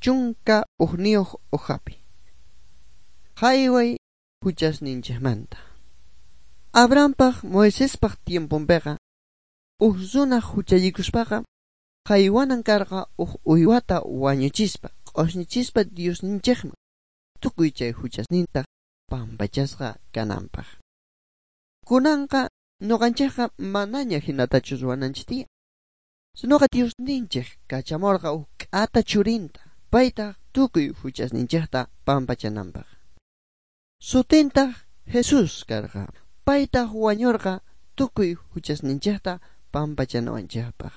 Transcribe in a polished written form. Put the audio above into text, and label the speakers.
Speaker 1: 11 hojapi. Jayway huchasninchikmanta. Abrahampaj Moisespaj tiemponpiqa uj runa huchallikuspaqa jaywanan karqa uj uywata wañuchispa q'osñichispa Diosninchikman tukuy chay huchasninta pampachasqa kananpaq. Kunanqa nuqanchikqa manaña hinatachu ruwananchik tiyan. Sinoqa Diosninchik kachamurqa uj k'ata churinta paytaq tukuy huchasninchikta pampachananpaq. Sutintaq Jesús karqa. Paytaq wañurqa tukuy huchasninchikta pampachanawanchikpaq.